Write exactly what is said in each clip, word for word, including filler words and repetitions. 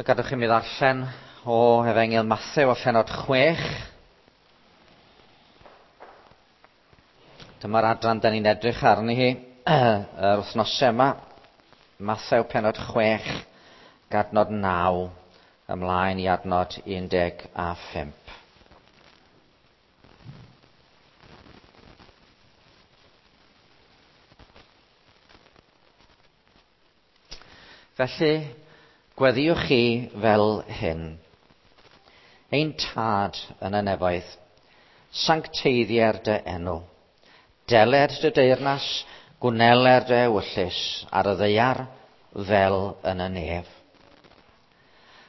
So gadwch i mi ddarllen o Efengyl Mathew a phennod chwech. Dyma'r adran da ni'n edrych arni hi yr wythnosau yma. Mathew pennod chwech, adnod naw, ymlaen i adnod un deg a phump. Felly, gweddïwch chi fel hyn. Ein Tad yn y nefoedd, sancteiddier dy enw. Deler dy deyrnas, gwneler dy ewyllys ar y ddaear fel yn y nef.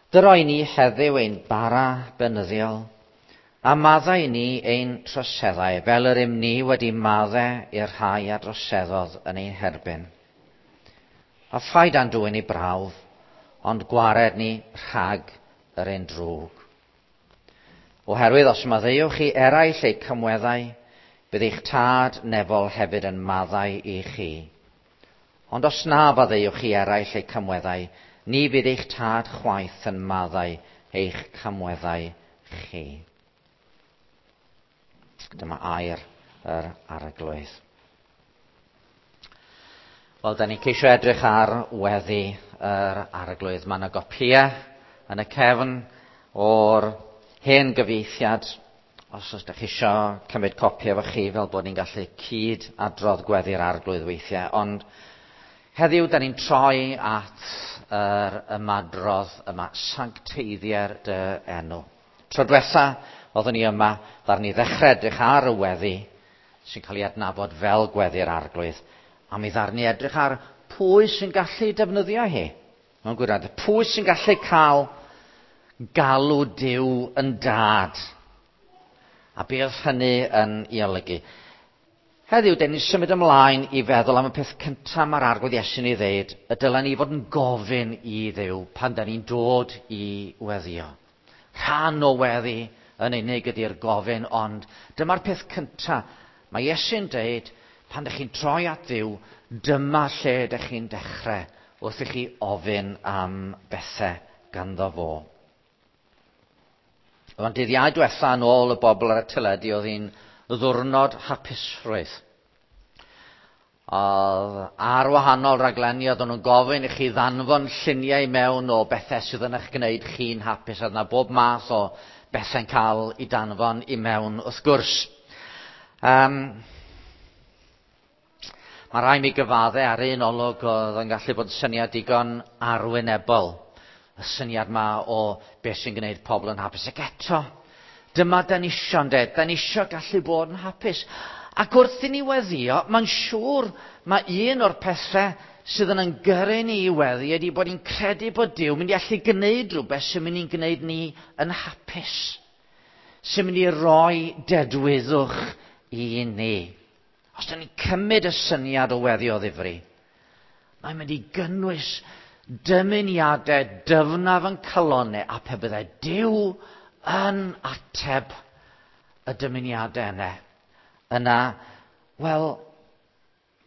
Dyroi ni heddiw ein bara beunyddiol, a maddau ni ein troseddau fel yr ym ni wedi maddau i'r rhai a droseddodd yn ein herbyn. A phaid â'n dwyn i brawf, ond gwared ni rhag yr un drwg. Oherwydd os maddeuwch chi eraill eu cymweddau, bydd eich Tad nefol hefyd yn maddau i chi. Ond os na faddeuwch chi eraill eu cymweddau, ni fydd eich Tad chwaith yn maddau eich cymweddau chi. Dyma air yr Arglwydd. Wel, da ni'n ceisio edrych ar weddi yr Arglwydd. Mae yna gopïau yn y cefn o'r hen gyfieithiad. Os ydych chi eisiau cymryd copi efo chi, fel bod ni'n gallu cyd adrodd gweddi'r Arglwydd weithiau. Ond heddiw, da ni'n troi at yr ymadrodd yma, sancteiddier dy enw. Tro diwetha, oeddwn ni yma, ddaru ni ddechrau edrych ar y weddi sy'n cael ei adnabod fel gweddi'r Arglwydd. A mi ddaru ni edrych ar pwy sy'n gallu defnyddio hi. Mewn gwirionedd, pwy sy'n gallu cael galw Duw yn dad. A be oedd hynny yn ei olygu? Heddiw, den ni'n symud ymlaen i feddwl am y peth cyntaf mae'r Arglwydd Iesu'n ei ddeud, y dylen ni fod yn gofyn i Dduw pan da ni'n dod i weddio. Rhan o weddi yn unig ydy'r gofyn, ond dyma'r peth cyntaf. Mae Iesu'n deud, pan ydych chi'n troi at Dduw, dyma lle ydych chi'n dechrau wrth i chi ofyn am bethau ganddo fo. Ond dydd Iau diwetha yn ôl y bobl ar y teledu, oedd hi'n ddiwrnod hapusrwydd. Oedd ar wahanol raglenni, oedden nhw'n gofyn i chi ddanfon lluniau mewn o bethau sydd yn eich gwneud chi'n hapus. Oedd yna bob math o bethau'n cael ei danfon i mewn wrth gwrs. Um, Mae rhaid mi gyfadde ar un olwg oedd yn gallu bod yn syniad digon arwynebol. Y syniad ma o beth sy'n gwneud pobl yn hapus. Ac eto, dyma da ni isio, ynde? Da ni isio gallu bod yn hapus. Ac wrth i ni weddio, mae'n siŵr mae un o'r pethau sydd yn yn gyrru ni i weddi ydy bod ni'n credu bod Duw mynd i allu gwneud rhywbeth sy'n mynd i'n gwneud ni yn hapus. Sy'n mynd i roi dedwyddwch i ni. Os da ni'n cymryd y syniad o weddi o ddifri, mae'n mynd i gynnwys dymuniadau dyfnaf yn calonnau, a pe byddai Duw yn ateb y dymuniadau yna, yna, wel,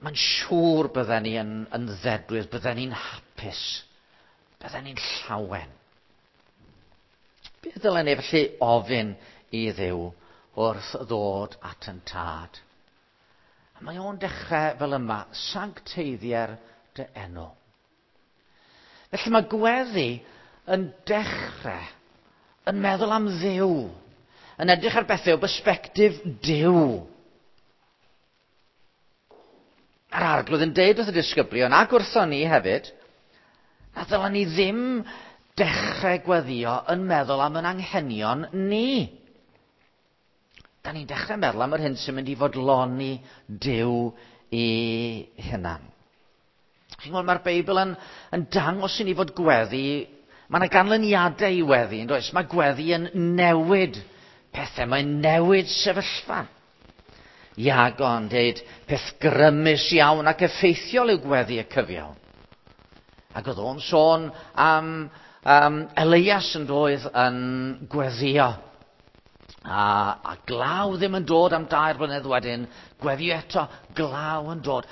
mae'n siŵr bydden ni yn, yn ddedwydd, bydden ni'n hapus, bydden ni'n llawen. Beth ddylen ni felly ofyn i Dduw wrth ddod at yn Tad? A mae o'n dechrau fel yma, sancteiddier dy enw. Felly mae gweddi yn dechrau yn meddwl am Dduw, yn edrych ar bethau o bersbectif Duw. A'r Arglwydd yn deud wrth y disgyblion, ac wrthon ni hefyd, na ddylen ni ddim dechrau gweddio yn meddwl am yn anghenion ni. Da ni'n dechrau meddwl am yr hyn sy'n mynd i fodloni Duw i hunan. Chi'n gweld, mae'r Beibl yn, yn dangos i ni fod gweddi, mae yna ganlyniadau i weddi, yn does? Mae gweddi yn newid pethau, mae'n newid sefyllfa. Iago yn deud, peth grymus iawn ac effeithiol yw gweddi y cyfiawn. Ac oedd o'n sôn am um, Elias yn doedd yn gweddio. A, a glaw ddim yn dod am dair blynedd wedyn, gweddio eto, glaw yn dod.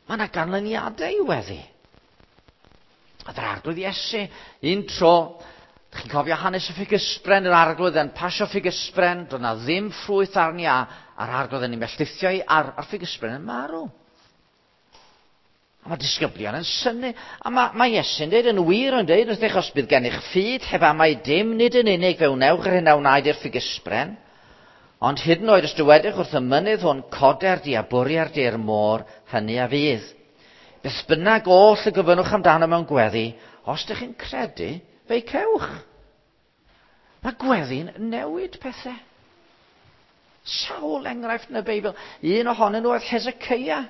Mae yna ganlyniadau i weddi. Oedd yr Arglwydd Iesu, un tro, chi'n cofio hanes y ffigysbren, yr Arglwydd yn pasio ffigysbren, doedd na ddim ffrwyth arni a, a'r Arglwydd yn ei melltithio i, a'r, a'r ffigysbren yn marw. A mae disgyblion yn synnu. A mae, mae Iesu'n dweud yn wir yn dweud wrthych, os bydd gennych ffydd heb amau dim, nid yn unig fe wnewch yr hyn a wnaed i'r ffigysbren, ond hyd yn oed os dywedwch wrth y mynydd hwn, coder di a bwrier di i'r môr, hynny a fydd. Beth bynnag oll y gofynnwch amdano mewn gweddi, os ydych chi'n credu, fe'i cewch. Mae gweddi'n newid pethau. Sawl enghraifft yn y Beibl. Un ohonyn nhw oedd Hezekiah.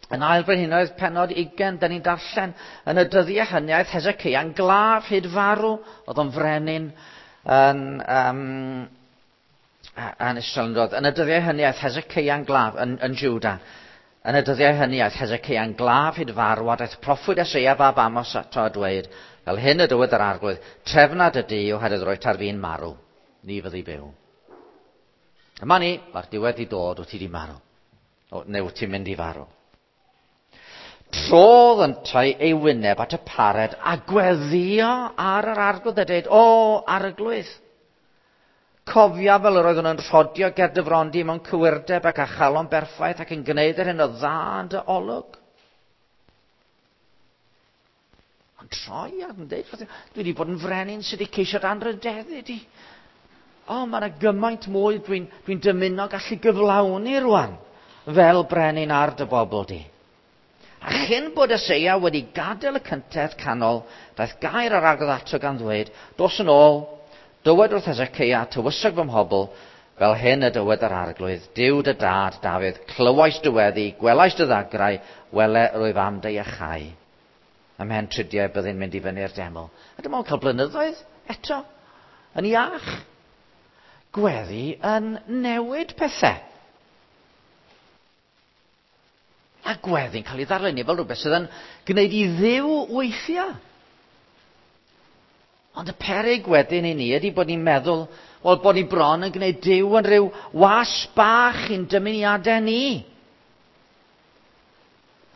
Yn ail Frenhinoedd pennod ugain, da ni'n darllen yn y dyddiau hynny aeth Hezekiah'n glaf hyd farw. Oedd o'n frenin yn, um, yn Israel yn dod. Yn y dyddiau hynny aeth Hezekiah'n glaf yn, yn Juda. Yn y dyddiau hynny aeth Hezekiah'n glaf hyd farw, a daeth proffwyd Eseia fab Amos ato a dweud, fel hyn y dywed yr Arglwydd, trefna dy dŷ oherwydd rwyt ar fin marw, ni fyddi byw. Yma ni, mae'r diwedd i dod, wyt ti di marw. O, neu wyt ti'n mynd i farw. Trodd yntau ei wyneb at y pared a gweddio ar yr Arglwydd a dweud, o, Arglwydd, cofia fel yr oeddwn yn rhodio ger dy fron di mewn cywirdeb ac â chalon berffaith ac yn gwneud yr hyn o dda yn dy olwg. Ond troi ac yn dweud, dwi wedi bod yn frenin sydd wedi ceisio anrhydeddu di. O, mae yna gymaint mwy dwi'n dwi dymuno gallu gyflawni rwan fel brenin ar dy bobl di. A chyn bod Eseia wedi gadael y cyntedd canol, daeth gair ar Arglwydd ato gan ddweud, dos yn ôl, dywed wrth Hezekiah, tywysog fy mhobl, fel hyn y dywed yr Arglwydd, Duw dy dad, Dafydd, clywais dy weddi, gwelais dy ddagrau, wele rwyf am dy iachau. Ymhen tridiau byddai'n mynd i fyny'r deml. A dyma o'n cael blynyddoedd eto, yn iach. Gweddi yn newid pethau. A gweddi'n cael ei ddarlunio fel rhywbeth sydd yn gwneud i Dduw weithio. Ond y peryg wedyn i ni ydy bod ni'n meddwl, wel, bod ni bron yn gwneud Duw yn rhyw was bach i'n dymuniadau ni.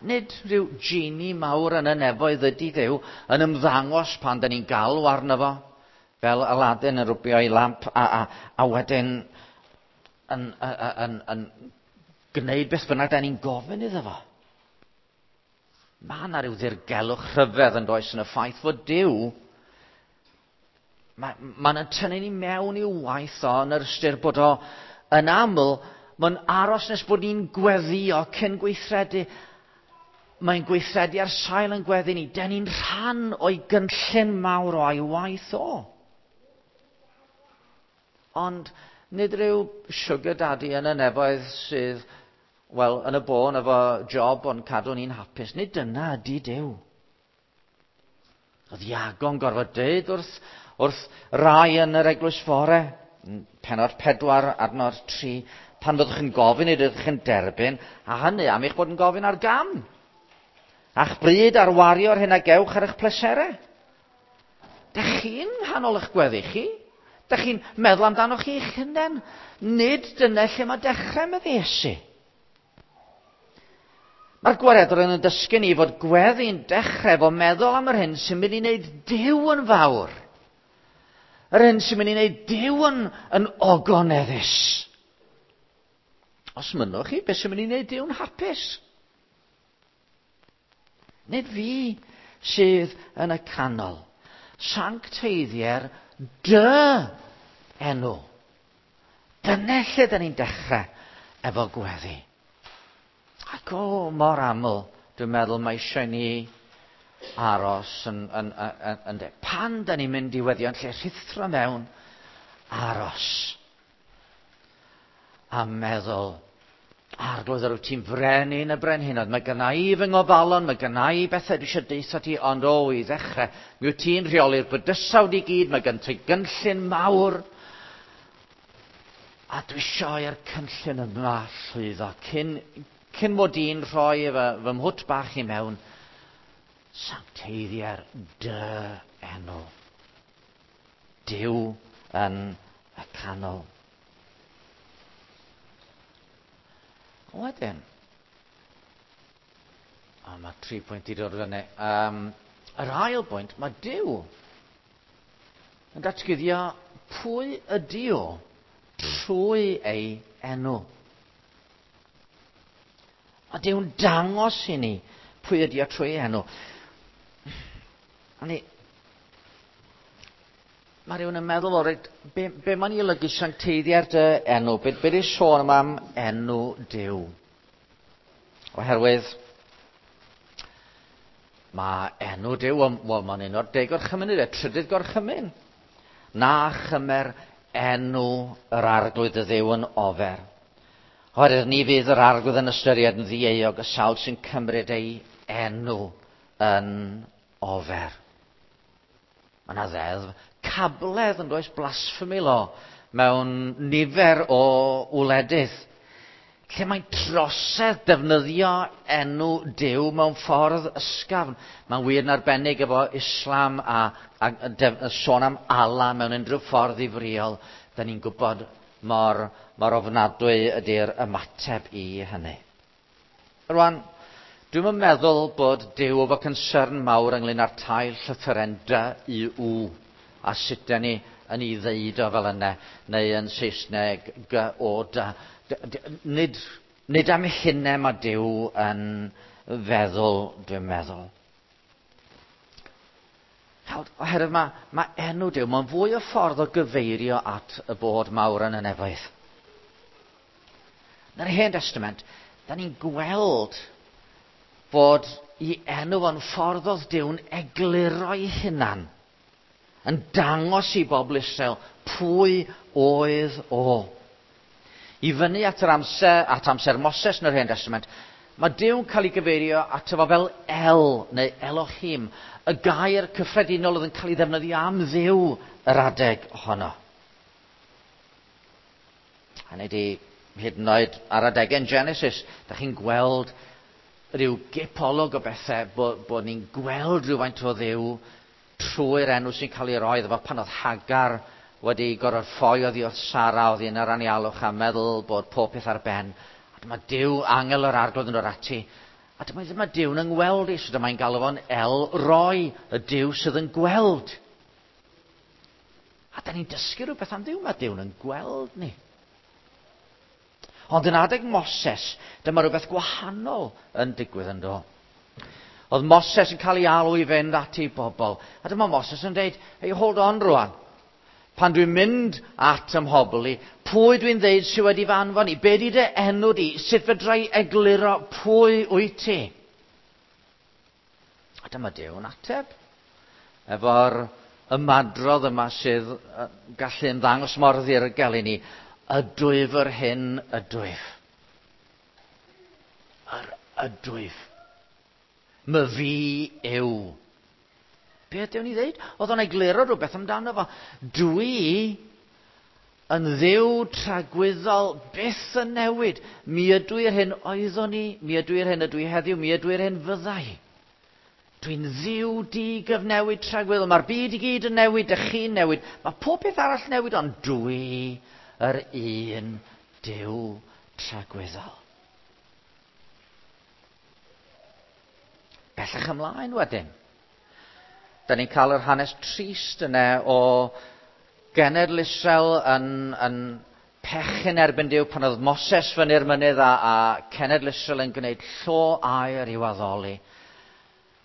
Nid rhyw genie mawr yn y nefoedd ydy Dduw yn ymddangos pan da ni'n galw arno fo, fel Aladdin yn rwbio ei lamp a, a, a wedyn yn, yn, yn, yn gwneud beth bynnag da ni'n gofyn iddo fo. Mae yna rhyw ddirgelwch rhyfedd yn does yn y ffaith fod Duw, mae'n ma tynnu ni mewn i'w waith o yn yr ystyr bod o yn aml, mae'n aros nes bod ni'n gweddio cyn gweithredu. Mae'n gweithredu ar sail yn gweddi ni. Da ni'n rhan o'i gynllun mawr o'i waith o. Ond nid rhyw sugar daddy yn y nefoedd sydd, wel, yn y bôn efo job ond cadw ni'n hapus. Nid dyna ydy Duw. Oedd Iago'n gorfod dweud wrth, wrth rai yn yr eglwys fore, pennod pedwar, adnod tri, pan fyddwch yn gofyn, nid ydych yn derbyn, a hynny am eich bod yn gofyn ar gam. A'ch bryd ar wario'r hyn a gewch ar eich pleserau. Dych chi'n nghanol eich gweddi chi? Dych chi'n meddwl amdano chi eich hunain? Nid dyna lle mae dechrau, medde Iesu. Mae'r gwaredwr yn dysgu ni fod gweddi'n dechrau efo meddwl am yr hyn sy'n mynd i wneud Duw yn fawr. Yr hyn sy'n mynd i wneud Duw yn, yn ogoneddus. Os mynnwch chi, beth sy'n mynd i wneud Duw'n hapus? Nid fi sydd yn y canol. Sancteiddier dy enw. Dyna lle da ni'n dechrau efo gweddi. Ac o, mor aml, dwi'n meddwl mae eisiau ni aros yn, yn, yn, yn, yn de. Pan da ni'n mynd i weddio yn lle rhuthro mewn, aros. A meddwl, Arglwydd, yr wyt ti'n frenin y brenhinoedd, mae gynna i fy ngofalon, mae gynna i bethau dwi eisiau deutha ti, ond o, i ddechrau, mi wyt ti'n rheoli'r bydysawd i gyd, mae gen ti gynllun mawr, a dwi eisiau i'r cynllun yma llwyddo, cyn, cyn mod i'n rhoi fy, fy mhwt bach i mewn, sancteiddier dy enw. Duw yn y canol. Wedyn, Mae tri pwynt i dod fyny. Um, yr ail bwynt, mae Duw yn datguddio pwy ydy o trwy ei enw. Mae Duw'n dangos i ni pwy ydy o trwy ei enw. A ni, mae rhywun yn meddwl, o, reit, be, be mae'n ei olygu sancteiddiau'r dy enw? Be, be di'r sôn yma am enw Duw? Oherwydd mae enw Duw, wel, mae'n un o'r deg gorchymyn, y trydydd gorchymyn. Na chymer enw yr arglwydd y Dduw yn ofer. Oherwydd ni fydd yr arglwydd yn ystyried yn ddieuog y sawl sy'n cymryd ei enw yn ofer. Mae yna ddeddf cabledd yn does, blasphemy law, mewn nifer o wledydd, lle mae'n trosedd defnyddio enw Duw mewn ffordd ysgafn. Mae'n wir yn arbennig efo Islam a, a, a def, sôn am Allah mewn unrhyw ffordd ddifrïol. Da ni'n gwybod mor, mor ofnadwy ydy'r ymateb i hynny. Rwan, dwi'm yn meddwl bod Duw efo concern mawr ynglyn â'r tair llythyren D U W a sut da ni yn ei ddeud o fel yna, neu yn Saesneg G O D. Nid, nid am hynny mae Duw yn feddwl, dwi'n meddwl. Oherwydd mae, mae enw Duw, mae'n fwy o ffordd o gyfeirio at y bod mawr yn y nefoedd. Yn yr Hen Testament, da ni'n gweld bod i enw fo'n ffordd oedd Duw'n egluro ei hunan, yn dangos i bobl Israel pwy oedd o. I fyny at yr amser, at amser Moses yn yr Hen Testament, mae Duw'n cael ei gyfeirio ato fo fel El neu Elohim, y gair cyffredinol oedd yn cael ei ddefnyddio am Dduw yr adeg honno. Hynny ydi, hyd yn oed ar adegau yn Genesis, da chi'n gweld rhyw gipolwg o bethau, bod, bod ni'n gweld rhywfaint o Dduw trwy'r enw sy'n cael ei roi iddo fo. Pan oedd Hagar wedi gorfod ffoi oddi wrth Sara oddi yn yr anialwch a meddwl bod pob peth ar ben. A dyma Duw, angel yr arglwydd yn dod ati. A dyma, dyma Duw'n yngweld i, so dyma'n galw fo'n El Roi, y Duw sydd yn gweld. A da ni'n dysgu rhywbeth am Dduw, mae Duw'n yn gweld ni. Ond yn adeg Moses, dyma rhywbeth gwahanol yn digwydd yn do. Oedd Moses yn cael ei alw i fynd at ei bobl. A dyma Moses yn dweud, hey, hold on rwan. Pan dwi'n mynd at ym mhobl i, pwy dwi'n dweud sydd wedi fy anfon i? Be di dy enw di? Sut fedra i egluro pwy wyt ti? A dyma Duw'n ateb. Efo'r ymadrodd yma sydd gallu ymddangos mor ddirgel i ni. Ydwyf yr hyn ydwyf. Yr ydwyf. My fi yw. Be ydy o'n i ddeud? Oedd o'n egluro rhywbeth amdano fo. Dwi yn Dduw tragwyddol byth yn newid. Mi ydw i'r hyn oeddwn i, mi ydw i'r hyn ydw i heddiw, mi ydw i'r hyn fyddai. Dwi'n Dduw digyfnewid tragwyddol. Mae'r byd i gyd yn newid, dych chi'n newid. Mae pob peth arall newid, ond dwi yr un Duw tragwyddol. Bellach ymlaen wedyn. Da ni'n cael yr hanes trist yna o genedl Israel yn, yn pechu'n erbyn Duw pan oedd Moses fyny'r mynydd a, a cenedl Israel yn gwneud llo aur i'w addoli.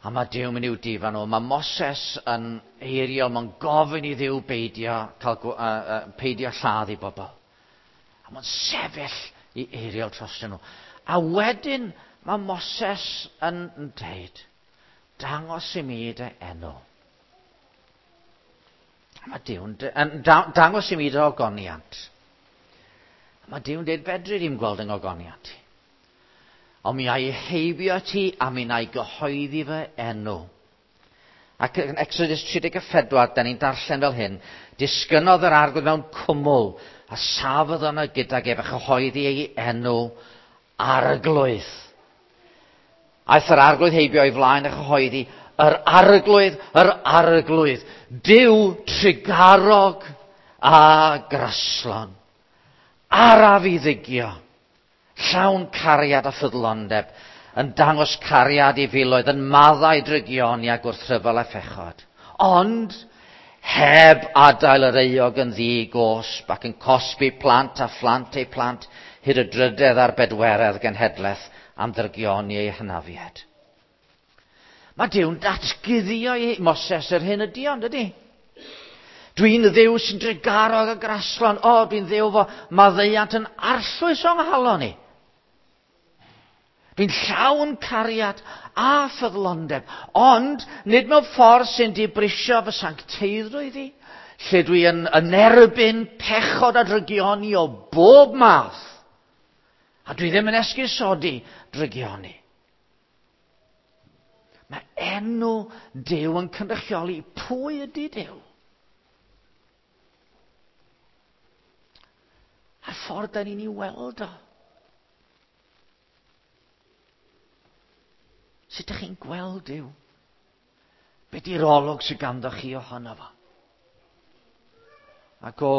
A mae Duw mynd i'w difa nhw. Mae Moses yn eiriol, mae'n gofyn i Dduw beidio, cael, uh, uh, peidio lladd i bobl. A mae'n sefyll i eiriol trostyn nhw. A wedyn mae Moses yn dweud, dangos i mi dy enw. A mae Duw'n dangos i mi dy ogoniant. A mae Duw'n dweud, fedri di'm gweld yng ngogoniant i. Ond mi a'i heibio ti a mi na'i gyhoeddi fy enw. Ac yn Exodus tri deg pedwar, da ni'n darllen fel hyn, disgynnodd yr arglwydd mewn cwmwl a safodd yno gydag ef a chyhoeddi ei enw arglwydd. Aeth yr arglwydd heibio o'i flaen a chyhoeddi, yr arglwydd, yr arglwydd, Duw trugarog a graslon, araf i ddigio, llawn cariad a ffyddlondeb, yn dangos cariad i filoedd, yn maddau drygioni a gwrthryfel a phechod. Ond heb adael yr euog yn ddi-gosb ac yn cosbi plant a phlant eu plant hyd y drydedd a'r bedweredd genhedlaeth am ddrygioni eu hynafiad. Mae Duw'n datguddio i Moses yr hyn ydi ond ydy? Dwi'n Dduw sy'n drugarog a graslon. O, dwi'n Dduw fo maddeuant yn arllwys o'n nghalon i. Dwi'n llawn cariad a ffyddlondeb, ond nid mewn ffordd sy'n dibrisio fy sancteiddrwydd i, lle dwi yn, yn erbyn pechod a drygioni o bob math. A dwi ddim yn esgusodi drygioni. Mae enw Duw yn cynrychioli pwy ydy Duw. A'r ffordd da ni'n ei weld o. Sut ydych chi'n gweld Duw? Be di'r olwg sydd ganddo chi ohono fo? Ac o,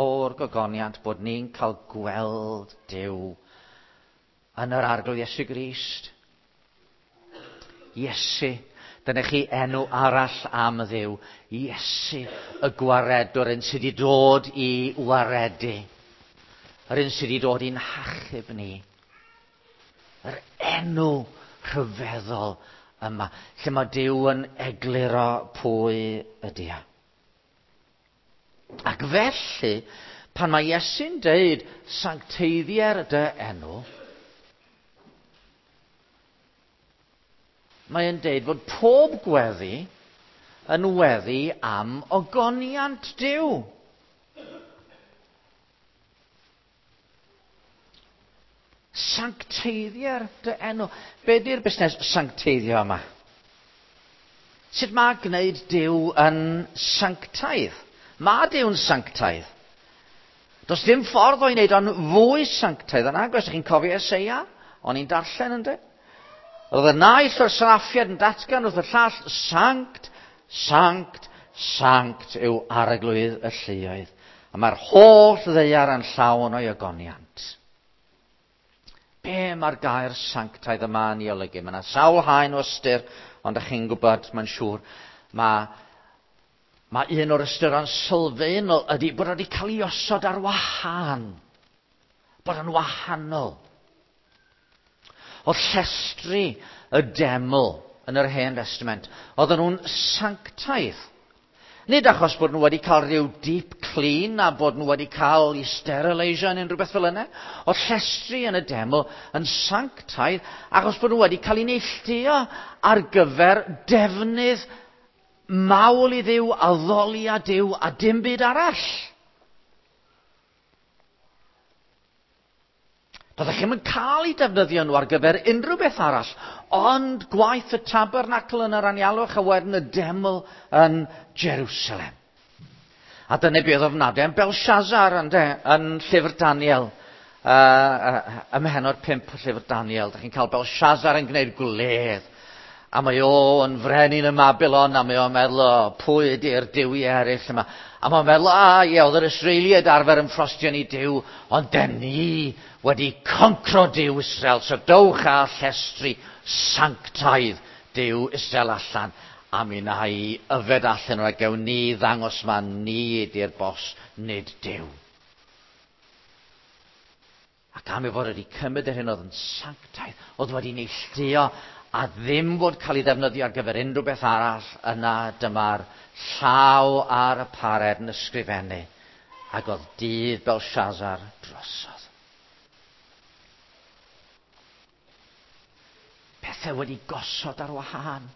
o'r gogoniant bod ni'n cael gweld Duw yn yr Arglwydd Iesu Grist. Iesu, dyna chi enw arall am Dduw. Iesu, y gwaredwr, un sydd wedi dod i waredu. Yr un sydd wedi dod i'n hachub ni. Yr enw rhyfeddol yma, lle mae Duw yn egluro pwy ydy o. Ac felly, pan mae Iesu'n deud sancteiddier dy enw, mae'n deud fod pob gweddi yn weddi am ogoniant Duw. Sancteiddier dy enw. Be di'r busnes sancteiddio yma? Sut mae gwneud Duw yn sanctaidd? Mae Duw'n sanctaidd. Does dim ffordd o'i wneud o'n fwy sanctaidd yn agos. Chi'n cofio Eseia? O'n i'n darllen ynddo? Oedd y naill o'r seraffiad yn datgan wrth y llall, sanct, sanct, sanct yw arglwydd y lluoedd. A mae'r holl ddaear yn llawn o'i ogoniant. Be mae'r gair sanctaidd yma yn ei olygu? Mae yna sawl haen o ystyr, ond ydych chi'n gwybod, mae'n siŵr, mae, mae un o'r ystyron sylfaenol ydy bod wedi cael ei osod ar wahân. Bod yn wahanol. Oedd llestri y deml yn yr Hen Testament, oedden nhw'n sanctaidd. Nid achos bod nhw wedi cael rhyw deep clean a bod nhw wedi cael eu sterilisio neu rhywbeth fel yna. Oedd llestri yn y deml yn sanctaidd achos bod nhw wedi cael eu neilltuo ar gyfer defnydd mawl i Dduw, addoli a Duw a dim byd arall. Doeddech chi'm yn cael eu defnyddio nhw ar gyfer unrhyw beth arall, ond gwaith y tabernacl yn yr anialwch a wedyn y deml yn Jerusalem. A dyna beth oedd ofnadwy am Belshazzar ynde, yn llyfr Daniel, uh, uh, ym mhennod pump o llyfr Daniel. Dach chi'n cael Belshazzar yn gwneud gwledd, a mae o yn frenin ym Mabilon, a mae o'n meddwl, o, pwy ydy'r duwiau eraill yma? A mae'n meddwl, a ie, oedd yr Israeliaid arfer yn ffrostio ni Duw, ond den ni wedi concro Duw Israel, so dowch â llestri sanctaidd Duw Israel allan, a mi wna i yfed allan o'r gewn ni ddangos ma ni ydy'r bos, nid Duw. Ac am ei fod wedi cymryd yr hyn oedd yn sanctaidd, oedd wedi neilltuo a ddim fod cael ei ddefnyddio ar gyfer unrhyw beth arall, yna dyma'r llaw ar y pared yn ysgrifennu, ac oedd dydd Belshazzar drosodd. Pethau wedi gosod ar wahân.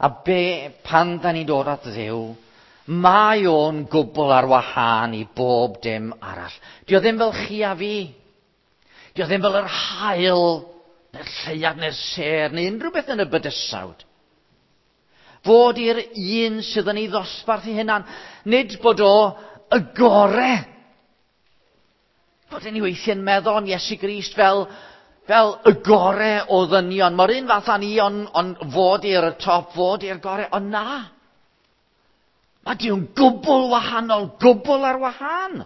A be, pan da ni'n dod at Dduw, mae o'n gwbl ar wahân i bob dim arall. Dio ddim fel chi a fi. Dio ddim fel yr haul, neu'r lleuad, neu'r sêr, neu unrhyw beth yn y bydysawd. Fod i'r un sydd yn ei ddosbarth ei hunan, nid bod o y gore. Fod yn ei weithiau'n meddwl am Iesu Grist fel, fel y gore o ddynion. Mae'r un fath â ni, ond on fod i'r top, fod i'r gore, ond na. Mae Duw'n gwbl wahanol, gwbl ar wahân.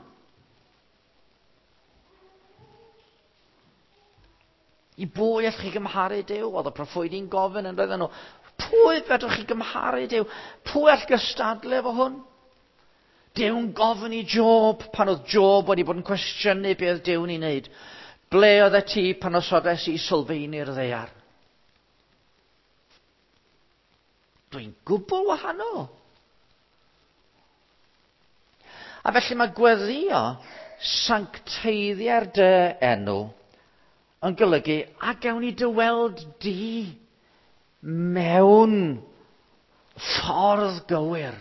I bwy allwch chi gymharu Duw? Oedd y proffwydi'n gofyn yn roedden nhw. Pwy fedrwch chi gymharu Duw? Pwy all gystadlu efo hwn? Duw'n gofyn i Job pan oedd Job wedi bod yn cwestiynu be oedd Duw'n ei wneud. Ble oedd e ti pan osodes i sylfaenu'r ddaear? Dwi'n gwbl wahanol. A felly mae gweddio sancteiddiau'r dy enw yn golygu a gawn ni dy weld di mewn ffordd gywir,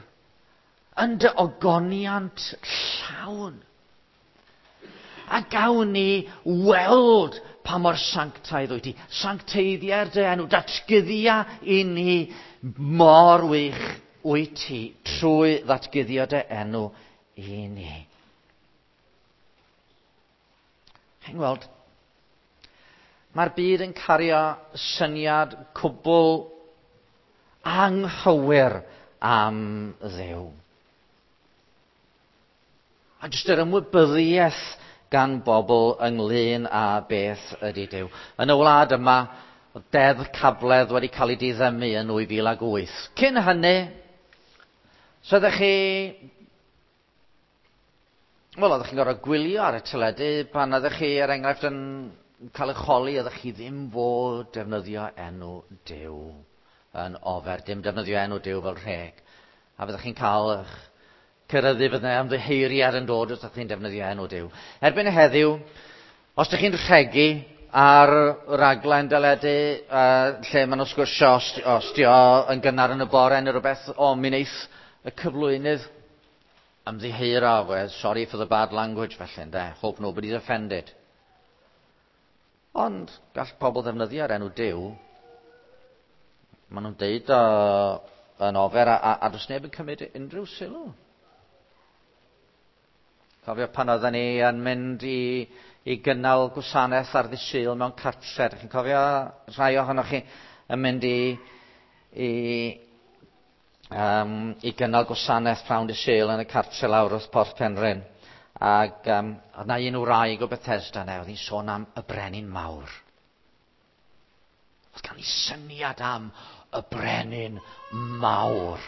yn dy ogoniant llawn. A gawn ni weld pa mor sanctaidd wyt ti. Sancteiddiau'r dy enw, datguddia i ni mor wych wyt ti trwy ddatguddio dy enw i ni. Chi'n gweld, mae'r byd yn cario syniad cwbl anghywir am Dduw. A jyst yr ymwybyddiaeth gan bobl ynglyn â beth ydy Duw. Yn y wlad yma, deddf cabledd wedi cael ei diddymu yn nwy fil ag wyth. Cyn hynny, so ydych chi... Wel, oeddech chi'n gorfod gwylio ar y teledu pan oeddech chi, er enghraifft, yn cael eich holi, oeddech chi ddim fod defnyddio enw Duw yn ofer, dim defnyddio enw Duw fel rheg. A fyddech chi'n cael eich cyrraeddu fydde ymddiheuriad yn dod os ydych chi'n defnyddio enw Duw. Erbyn heddiw, os ydych chi'n rhegi ar raglen deledu uh, lle maen nhw'n sgwrsio os, os di o yn gynnar yn y bore neu rhywbeth, o, mi wneith y cyflwynydd ymddiheuro, well, sorry for the bad language felly, ynde? Hope nobody's offended. Ond gall pobl ddefnyddio'r enw Duw. Maen nhw'n deud o yn ofer a, a, a does neb yn cymryd unrhyw sylw. Cofio pan oedden ni yn mynd i, i gynnal gwasanaeth ar ddydd Sul mewn cartre. Chi'n cofio rhai ohonoch chi yn mynd i, i, um, i gynnal gwasanaeth prawn dydd Sul yn y cartre lawr wrth Porth Penrhyn. Ac um, oedd na un wraig o Bethesda yna, oedd hi'n sôn am y brenin mawr. Oedd gan i syniad am y brenin mawr.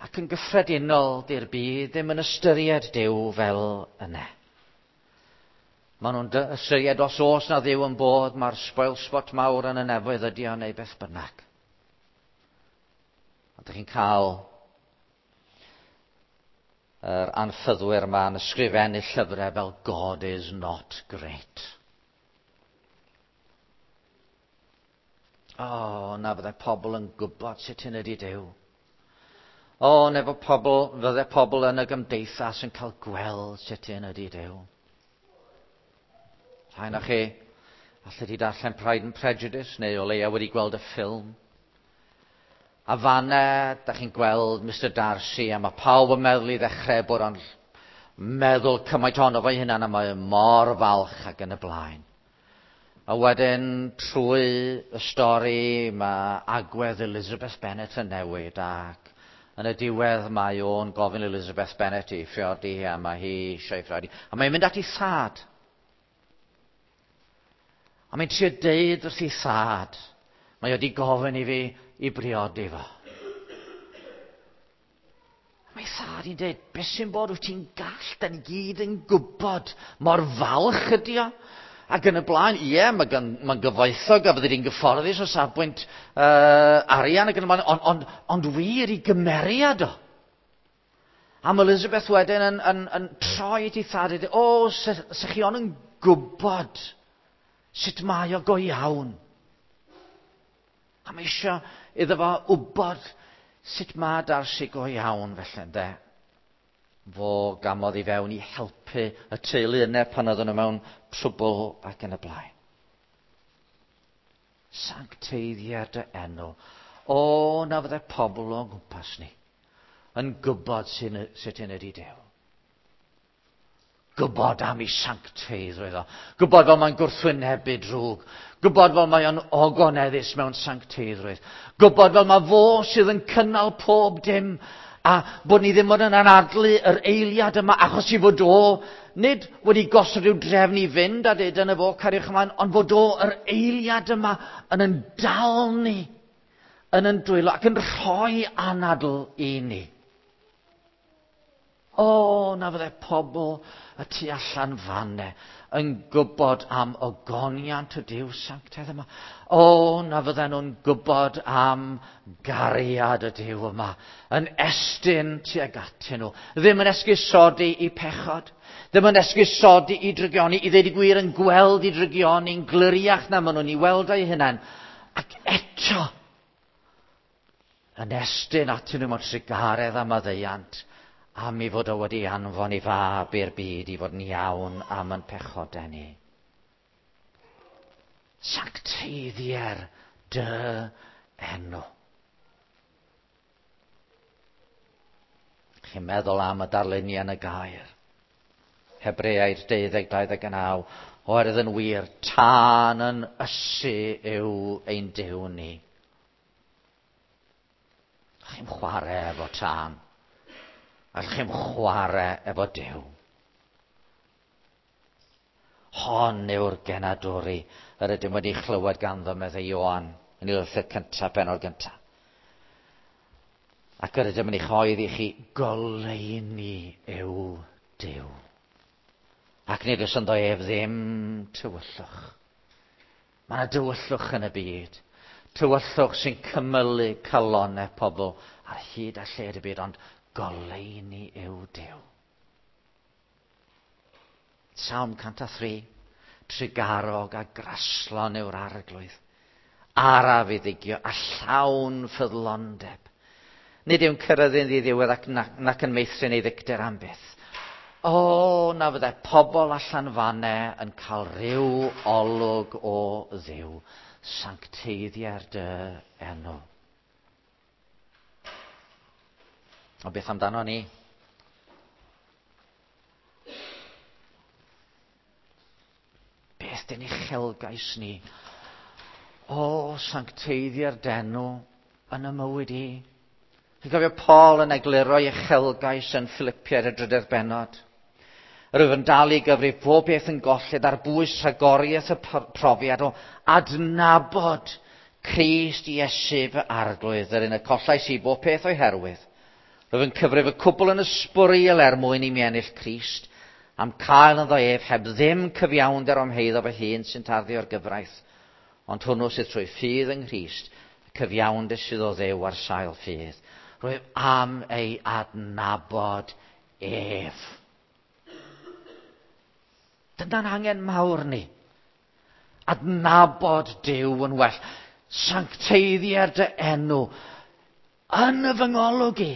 Ac yn gyffredinol, di'r byd ddim yn ystyried Duw fel yna. Maen nhw'n ystyried os oes na Dduw yn bod, mae'r spoil spot mawr yn y nefoedd ydi o neu beth bynnag. A dych chi'n cael yr anffyddwyr yma yn ysgrifennu llyfrau fel God is not great. O, oh, na fyddai pobl yn gwybod sut hyn ydi Duw. O, oh, na fo pobl, fyddai pobl yn y gymdeithas yn cael gweld sut hyn ydi Duw. Rhai na chi, allai di darllen Pride and Prejudice, neu o leia wedi gweld y ffilm. A fanna, da chi'n gweld Mister Darcy, a mae pawb yn meddwl i ddechrau bod o'n meddwl cymaint ohono fo'i hunan, a mae mor falch ac yn y blaen. A wedyn, trwy y stori, mae agwedd Elizabeth Bennet yn newid, ac yn y diwedd mae o'n gofyn Elizabeth Bennet i phriodi, a mae hi eisiau ei phriodi. A mae'n mynd at ei thad. A mae'n trio deud wrth ei thad, mae wedi gofyn i fi i briodi fo. Mae thad i'n deud, beth sy'n bod wyt ti'n gall, da ni gyd yn gwybod mor falch ydi o. Ac yn y blaen, ie, mae'n mae gyfoethog a fyddi di'n gyfforddus o safbwynt uh, arian ac yn y blaen, ond on, ond wir i gymeriad o. A mae Elizabeth wedyn yn, yn, yn troi at ei thad, o, se, se chi ond yn gwybod sut mae o go iawn. A mae eisiau iddo fo wybod sut mae Darcy go iawn felly, ynde. Fo gamodd i fewn i helpu y teulu yna pan oedden nhw mewn trwbl ac yn y blaen. Sancteiddiad dy enw. O, na fyddai pobl o'n gwmpas ni yn gwybod sut hyn ydi Duw. Gwybod am ei sancteiddrwydd o. Gwybod fel mae'n gwrthwynebu drwg. Gwybod fel mae o'n ogoneddus mewn sancteiddrwydd. Gwybod fel mae fo sydd yn cynnal pob dim A bod ni ddim ond yn anadlu yr eiliad yma achos i fod o nid wedi gosod rhyw drefn i fynd a dweud dyna fo, cariwch ymlaen, ond fod o yr eiliad yma yn yn dal ni, yn yn dwylo ac yn rhoi anadl i ni. O, na fydde pobl y tu allan fanne yn gwybod am ogoniant y Duw sanctaidd yma. O, na fydden nhw'n gwybod am gariad y Duw yma, yn estyn tuag atyn nhw. Ddim yn esgusodi i pechod, ddim yn esgusodi i drygioni, i ddweud y gwir yn gweld i drygioni'n gliriach na maen nhw'n i weld eu hunain. Ac eto, yn estyn atyn nhw mewn trugaredd a maddeuant, am i fod o wedi anfon i fab i'r byd i fod yn iawn am yn pechodau ni. Sancteiddier dy enw. Chi'n meddwl am y darluniau yn y gair. Hebreaid deuddeg dau ddeg naw, oherwydd yn wir, tân yn ysu yw ein Duw ni. Chi'n chwarae efo tân. Allwch chi'm chwarae efo Duw. Hon yw'r genadwri yr ydym wedi chlywed ganddo, meddai Ioan, yn ei lythyr cyntaf, bennod gyntaf. Ac yr ydym yn ei choedd i chi, goleuni yw Duw. Ac nid oes ynddo ef ddim tywyllwch. Mae yna dywyllwch yn y byd. Tywyllwch sy'n cymylu calonnau pobl ar hyd a lled y byd, ond goleuni yw Duw. Salm cant a thri, trugarog a graslon yw'r arglwydd. Araf i ddigio a llawn ffyddlondeb. Nid yw'n cyrraedd yn ddiddiwedd ac nac, nac yn meithrin ei ddicter am byth. O, na fydde pobl allan fanne yn cael rhyw olwg o Dduw. Sancteiddier dy enw. Ond beth amdano ni? Beth dyn uchelgais ni? O, sancteiddio'r denw yn y mywyd i. Chi'n cofio Paul yn egluro ei uchelgais yn Philippiaid y drydedd bennod. Rwyf yn dal i gyfrif pob beth yn golled ar bwys rhagoriaeth y profiad o adnabod Crist Iesu fy arglwydd, yr un y collais i bob peth o'i herwydd. Rwyf yn cyfrif y cwbl yn ysbwriel er mwyn i mi ennill Crist, am cael ynddo ef heb ddim cyfiawnder o'm heiddo fy hun sy'n tarddu o'r gyfraith, ond hwnnw sydd trwy ffydd yng Nghrist, y cyfiawnder sydd o Dduw ar sail ffydd. Rwyf am ei adnabod ef. Dyna'n angen mawr ni. Adnabod Duw yn well. Sancteiddier dy enw yn y fy ngolwg i.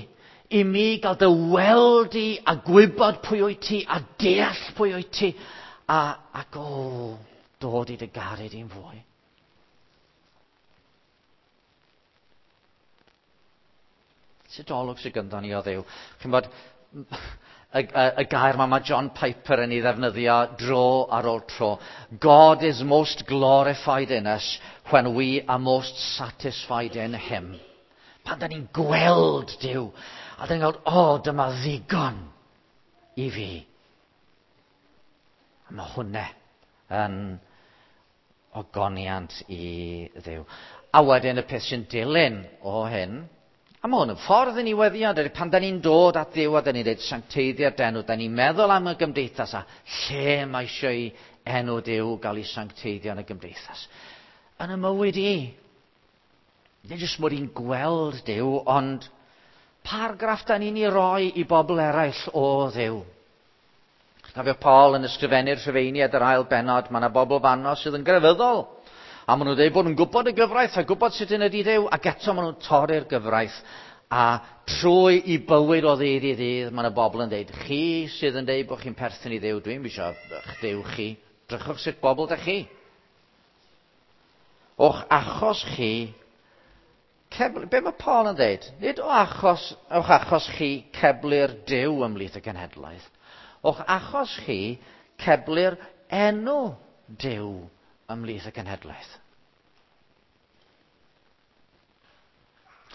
I mi gael dy weld i a gwybod pwy wyt ti a deall pwy wyt ti a, ac o, dod i dy garu di'n fwy. Sut olwg sydd gyda ni o Dduw? Chi'n bod, y, y, y gair ma mae John Piper yn ei ddefnyddio dro ar ôl tro. God is most glorified in us when we are most satisfied in him. Pan da ni'n gweld Duw, a da ni'n gweld, o, oh, dyma ddigon i fi. A mae hwnna yn ogoniant i Dduw. A wedyn y peth sy'n dilyn o hyn, a mae hwn yn ffordd i ni weddio, pan da ni'n dod at Dduw a da ni'n dweud sancteiddio'r enw, da ni'n meddwl am y gymdeithas a lle mae eisiau i enw Duw gael ei sancteiddio yn y gymdeithas. Yn y mywyd i, nid jyst mod i'n gweld Duw, ond paragraff da ni'n ei roi i bobl eraill o Dduw. Cofio Paul yn ysgrifennu'r Rhufeiniaid yr ail bennod, mae yna bobl fanno sydd yn grefyddol. A maen nhw'n dweud bod nhw'n gwybod y gyfraith a gwybod sut yn ydi Duw, ac eto maen nhw'n torri'r gyfraith. A trwy i bywyd o ddydd i ddydd, mae yna bobl yn dweud, chi sydd yn dweud bod chi'n perthyn i Dduw, dwi'n eisiau eich Duw chi. Drychwch sut bobl da chi. O'ch achos chi, cebl, be mae Paul yn dweud? Nid o achos, o'ch achos chi ceblu'r Duw ymhlith y genhedlaeth. O'ch achos chi ceblu'r enw Duw ymhlith y genhedlaeth.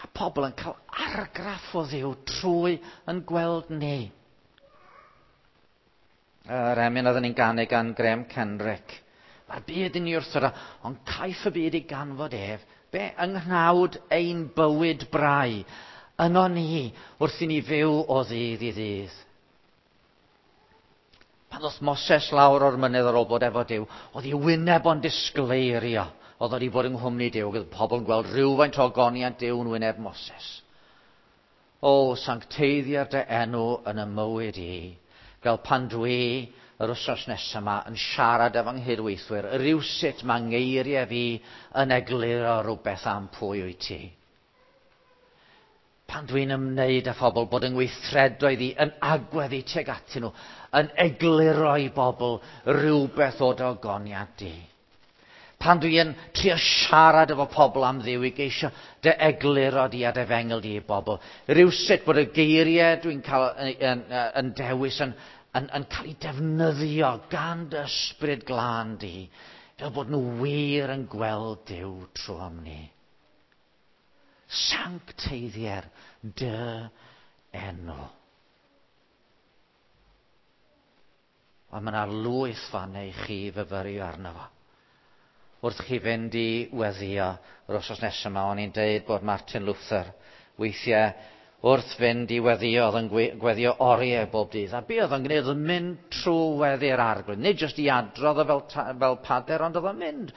A pobl yn cael argraff o Dduw trwy yn gweld ni. Yr emyn oedden ni'n ganu gan Graham Kenrick. Mae'r byd yn ei wrthod, ond caiff y byd ei ganfod ef. Be? Yng nghnawd ein bywyd brau. Yno ni, wrth i ni fyw o ddydd i ddydd. Pan ddoth Moses lawr o'r mynydd ar ôl bod efo Duw, oedd ei wyneb o'n disgleirio. Oedd wedi bod yng nghwmni Duw, oedd pobl yn gweld rhywfaint o ogoniant Duw yn wyneb Moses. O, sancteiddier dy enw yn y mywyd i, fel pan dwi yr wythnos nesaf yma yn siarad efo nghydweithwyr, rywsut mae ngeiriau fi yn egluro rhywbeth am pwy wyt ti. Pan dwi'n ymwneud â phobl, bod yng ngweithredoedd i yn agwedd i tuag atyn nhw, yn egluro i bobl rhywbeth o dy ogoniant di. Pan dwi'n trio siarad efo pobl am Dduw i geisio dy egluro di a dy efengyl di i bobl, rywsut bod y geiriau dwi'n cael yn, yn, yn dewis yn, yn, yn cael ei defnyddio gan dy ysbryd glân di, fel bod nhw wir yn gweld Duw trwy am ni. Sancteiddier dy enw. Ond mae yna lwyth fan i chi fyfyrio arno fo. Wrth chi fynd i weddio yr wythnos nesaf yma, o'n i'n deud bod Martin Luther weithiau wrth fynd i weddio, oedd yn gweddio oriau bob dydd. A be oedd yn gwneud, oedd yn mynd trwy weddi'r Arglwydd. Nid jyst i adrodd o fel, fel pader, ond oedd yn mynd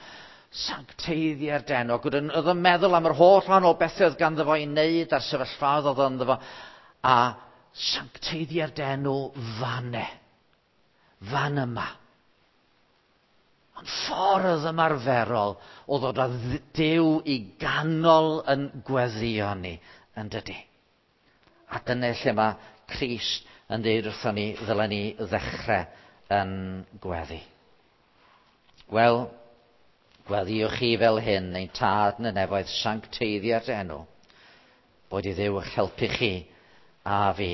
sancteiddiau'r denw. Ac oedd yn meddwl am yr holl wahanol bethau oedd ganddo fo i wneud a'r sefyllfaoedd oedd ynddo fo. A sancteiddiau'r denw fanne. Fan yma. Ond ffordd ymarferol o ddod â Duw i ganol yn gweddio ni, yn dydi. A dyna lle mae Crist yn dweud wrthon ni, ddylen ni ddechrau yn gweddi. Wel, gweddiwch chi fel hyn, ein tad yn y nefoedd, sancteiddia'r enw. Boed i Dduw eich helpu chi a fi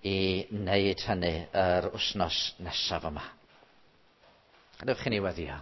i wneud hynny yr wythnos nesaf yma. Gadewch i ni weddio.